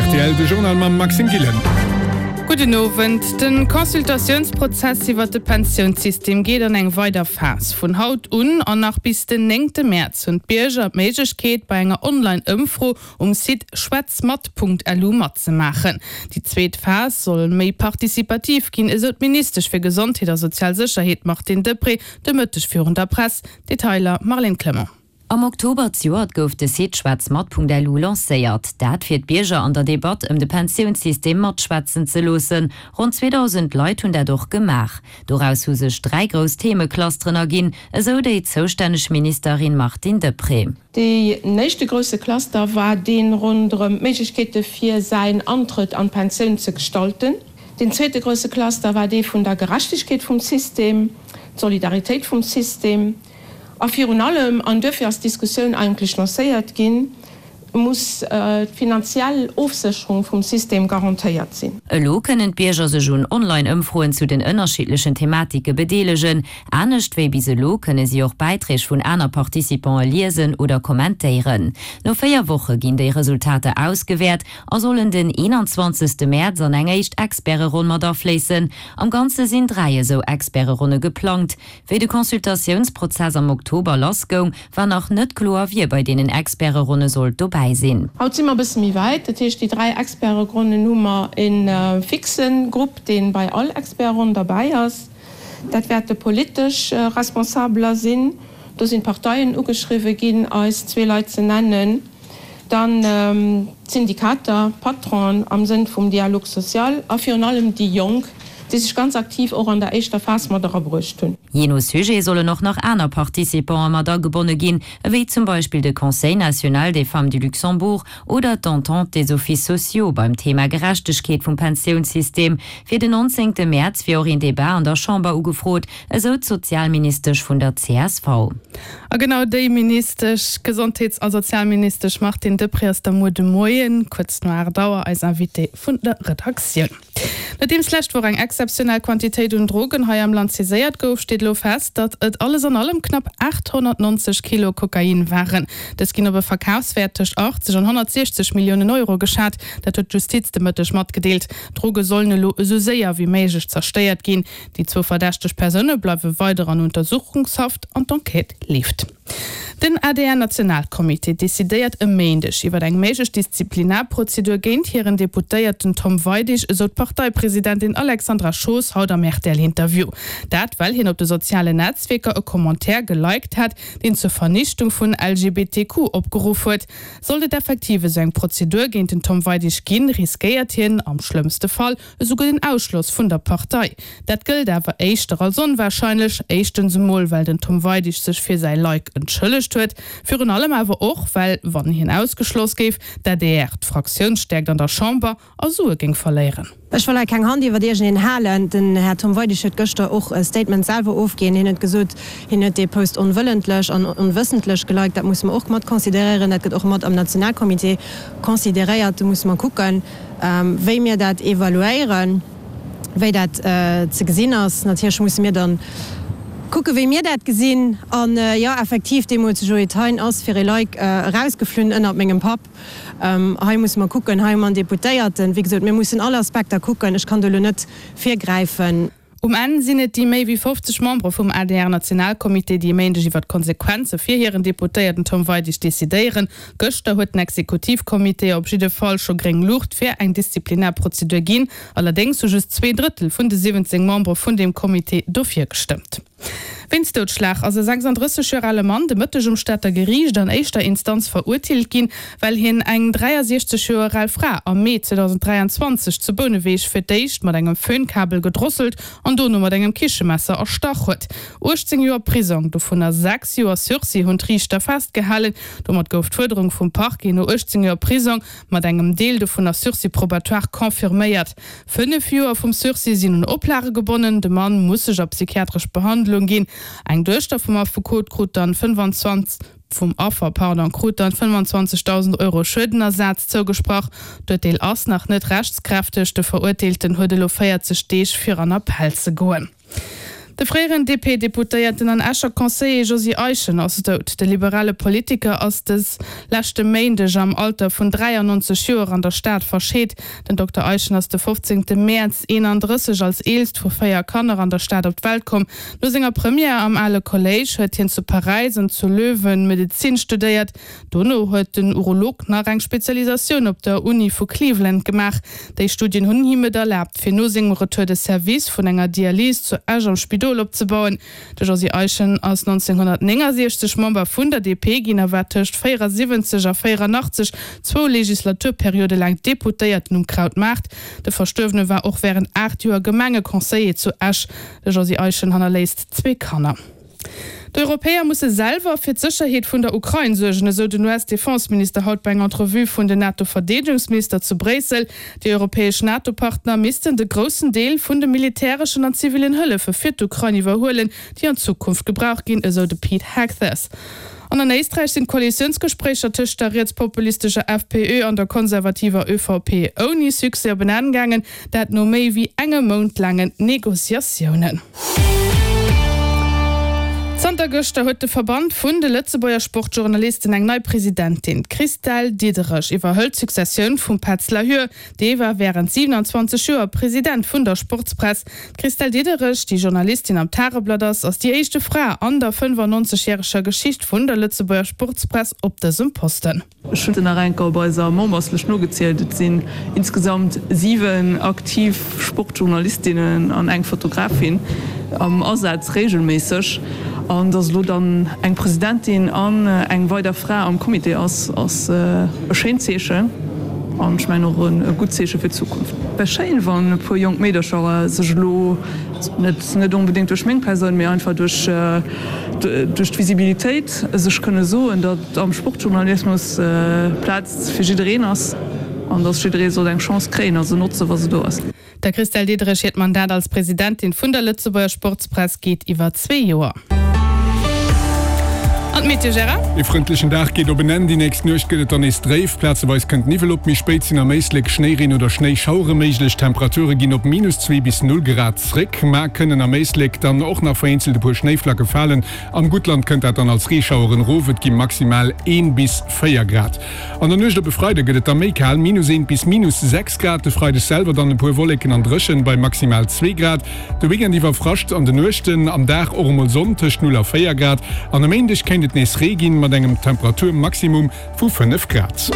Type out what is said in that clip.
Rtl, de Journal mam Maxime Gillen. Gudden Owend. De Consultatiounsprozess iwwert de Pensiounssystem geet an eng weider Phas. Vun haut un an nach bis den néngte Mäerz hunn d'Bierger d'Méiglechkeet, bei enger Online-Ëmfro um Site schwätzmat.lu matzemaachen. Déi zweet Phas soll méi participativ ginn, esou d'Ministesch fir Gesondheet a sozial Sécherheet Martine Deprez de Mëtteg virun der Press. Detailer Marlène Clement. Am Oktober zejoert gouf de Site schwätzmat.lu lancéiert. Dat fir d'Bierger an der Debatt ëm de Pensiounssystem matschwätzen ze loossen. Ronn 2.000 Leit hunn dat och gemaach. Doraus hu sech 3 grouss Themeclusteren erginn, esou déi zoustänneg Ministerin Martine Deprez. Deen éischte grousse Cluster war dee ronderëm d'Méiglechkeete fir säin Antrëtt an d'Pensioun ze gestalten. Deen zweete grousse Cluster war dee vun der Gerechtegkeet vum System, d'Solidaritéit vum System. A virun allem, an duerfir ass d'Diskussioun eigentlech lancéiert ginn, muss d'finanziell Ofsécherung vum System garantéiert sinn. Elo kënnen d'Bierger sech un Online-Ëmfroen zu den ënnerschiddlechen Thematike bedeelegen. Anescht wéi bis elo kënne si och Bäiträg vun aner Participante liesen oder kommentéieren. No 4 Woche ginn déi Resultater ausgewäert a sollen den 21. Mäerz an eng éischt Experteronn mat afléissen. Am Ganze sinn 3 esou Experteronne geplangt. Wéi de Consultatiounsprozess am Oktober lass goung, war nach net kloer, wie bei deenen Experteronne sollt dobäi sinn. Haut si mer e bësse méi wäit. Dat heescht, déi 3 Experteronnen hu mer e fixe Grupp, dee bei all Experteronn derbäi ass. Dat wäerte politesch Responsabeler sinn. Do sinn d'Parteien ugeschriwwe ginn, eis zwee Leit ze nennen. Dann d'Syndikater, d'Patronen am Sënn vum Dialogue social a virun allem déi Jonk, déi sech ganz aktiv och an der éischter Phas mat erabruecht hunn. Jee no Sujet sollen och nach aner Participantë mat agebonne ginn, ewéi zum Beispill de Conseil national des femmes du Luxembourg oder d'Entente des offices sociaux beim Thema Gerechtegkeet vum Pensiounssystem. Fir den 19 Mäerz wier och een Debat an der Chamber ugefrot, esou d'Sozialministesch vun der csv. A genau déi Ministesch, d'Gesondheets a Sozialministesch Martine Deprez ass da muer de Moien kuerz no 8 Auer eis Invitée vun der Redaktioun. Nodeems d'lescht Woch eng exzeptionell Quantitéit un Drogen hei am Land saiséiert gouf, steet elo fest, datt et alles an allem knapp 890 Kilo Kokain waren. Dës ginn op e Verkafswäert tëscht 80 an 160 Milliounen Euro geschat, dat huet d'Justiz de Mëtteg matgedeelt. D'Droge sollen elo esou séier wéi méiglech zerstéiert ginn. Déi zwou verdächteg Persoune bleiwe weider an Untersuchungshaft an d'Enquête leeft. Den ADR-Nationalcomité decidéiert e Méindeg iwwer eng méiglech Disziplinarprozedur géint hiren Deputéierten Tom Weidig, esou d'Parteipresidentin Alexandra Schoos haut am RTL-Interview. Dat well hien op de sozialen Netzwierker e Commentaire geliked hat, deen zur Vernichtung vun LGBTQ opgeruff huet. Sollt et effektiv esou eng Prozedur géint den Tom Weidig ginn, riskéiert hien, am schlëmmste Fall, Esouguer den Ausschloss vun der Partei. Dat gëllt awer éischter als onwahrscheinlech. Éischtens emol, well den Tom Weidig sech fir säi Like entschëllegt huet. Virun allem awer och, well, wann hien ausgeschloss géif, d'ADR d'Fraktiounsstäerkt an der Chamber a Sue géing verléieren. Ech wëll hei keng Hand iwwert iergendeen halen. Den Här Tom Weidig huet gëschter och e Statement selwer ofginn. Hien huet gesot, hien huet dee Post onwëllentlech an onwëssentlech geliked. Dat musse mer och mat consideréieren. Dat gëtt och mat am Nationalcomité consideréiert. Do musse mer kucken. Wéi mir dat evaluéieren, wéi dat ze gesinn ass. Natierlech musse mir dann kucken, wéi mir dat gesinn. An jo, effektiv, deemools de Joé Thein ass fir e Like erausgeflunn ënnert mengem Papp. Hei musse mer kucken, hei hu mer en Deputéierten. Wéi gesot, mir mussen all Aspekter kucken. Ech kann do elo net virgräifen. Um Enn sinn et déi méi wéi 50 Membere vum ADR-Nationalcomité, déi e Méindeg iwwer d'Konsequenze fir hiren Deputéierten Tom Weidig decidéieren. Gëschter huet den Exekutivcomité op jidde Fall scho gréng Luucht fir eng Disziplinarprozedur ginn. Allerdéngs hu just zweeDrëttel vun de 17 Membere vun deem Comité dofir gestëmmt. Wéinst Doudschlag ass e 36 Joer ale Mann de Mëtteg um Stater Geriicht an éischter Instanz verurteelt ginn, well hien eng 63 Joer al Fra am Mee 2023 zu Bouneweg fir d'éischt mat engem Föhnkabel gedrosselt an dono mat engem Kichemesser erstach huet. 18 Joer Prisong, dovunner 6 Joer Sursis, hunn d'Riichter festgehalen. Domat gouf d'Fuerderung vum Parquet no 18 Joer Prisong mat engem Deel dovunner Sursis probatoire confirméiert. 5 Joer vum Sursis sinn un Oplage gebonnen, de Mann muss sech a psychiatresch Behandlung ginn. Eng Duechter vum Affekot krut dann 25 vum Affer, pardon, krut dann 25.000 Euro Schuedenersaz zougesprach. D'Urteel ass nach net rechtskräfteg, de Verurteelten huet elo 40 Deeg fir an Appell ze goen. De fréieren DP-Deputéierten an Escher Conseiller Josy Eischen ass dout. De liberale Politiker ass dës leschte Méindeg am Alter vun 93 Joer an der Stad verscheet. Den Dokter Eischen ass de 15 Mäerz 31 als eelst vu 4 Kanner an der Stad op d'Welt komm. No senger Première am Ale Kolléisch huet hien zu Paräis an zu Löwen Medezin studéiert. Dono huet den Urolog nach eng Spezialisatioun op der Uni vu Cleveland gemaach. Déi Studien hunn him et erlaabt, fir no sengem Retour de Service vun enger Dialys zu Esch am Spidol opzebauen. De Josy Eischen ass 1969 Member vun der DP ginn a war tëscht 74 a 84 zwou Legislaturperiode laang Deputéierten um Krautmaart. De Verstuerwene war och wärend 8 Joer Gemengeconseiller zu Esch. De Josy Eischen hannerléisst zwee Kanner. D'Europäer musse selwer fir d'Sécherheet vun der Ukrain suergen, esou den US-Defenseminister haut bei enger Entrevue vun den NATO-Verdeedegungsminister zu Bréissel. Déi europäesch NATO-Partner missten de groussen Deel vun de militäreschen an zivillen Hëllefe fir d'Ukrain iwwerhuelen, déi an Zukunft gebraucht ginn, esou de Pete Hegseth. An an Éisträich sinn d'Koalitiounsgespréicher tëscht der rietspopulistescher FPÖ an der konservativer ÖVP ouni Succès op en Enn gaangen, dat no méi wéi engem Mount laangen Negociatiounen. Zanter gëschter huet de Verband vun de Lëtzebuerger Sportjournalisten eng nei Presidentin. D'Christelle Diederich iwwerhëlt d'Successioun vum Petz Lahur. Dee war wärend 27 Joer President vun der Sportspress. D'Christelle Diederich, déi Journalistin am Tageblatt ass, ass déi éischte Fra an der 95 järreger Geschicht vun der Lëtzebuerger Sportspress op dësem Posten. Ech hunn nach enker op eiser Memberslëscht nogezielt, et sinn insgesamt 7 aktiv Sportjournalistinnen an eng Fotografin am Asaz regelméisseg. An dass elo dann eng Presidentin an eng weider Fra am Comité ass, ass e schéint Zeechen an ech mengen och e gutt Zeeche fir d'Zukunft. Wär schéin, wann e puer jonk Meedercher sech elo, net onbedéngt duerch meng Persoun, mee einfach duerch d'Visibilitéit, sech kënne soen, datt am Sportjournalismus Plaz fir jiddereen ass an datt jidderee sollt eng Chance kréien a se notzen, wa se do ass. Der Christelle Diederich hiert Mandat als Presidentin vun der Lëtzebuerger Sportspress geet iwwer zwee Joer. An d'Meteo, Gérard? E frëndlechen Dag geet op en Enn, déi nächst Nuecht gëtt et dann nees dréif. Plazeweis kënnt Niwwel op, méi spéit sinn am Éislek Schnéireen oder Schnéischauere méiglech. D'Temperature ginn op minus 2 bis 0 Grad zréck, ma kënnen am Éislek dann och nach vereenzelt e puer Schnéiflacke falen. Am Guttland kënnt dat dann als Reeschaueren erof, et gi maximal 1 bis 4 Grad. An der Nuecht op e Freide gëtt et da méi kal, minus 1 bis minus 6 Grad. De Freideg selwer dann e puer Wolleken an dréchen bei maximal 2 Grad. De Weekend iwwer Frascht an de Nuechten, am Dag och emol Sonn tëscht 0 a 4 Grad. An e Méindeg kéint et nees Ree ginn, mat engem Temperaturmaximum vu 5 Grad.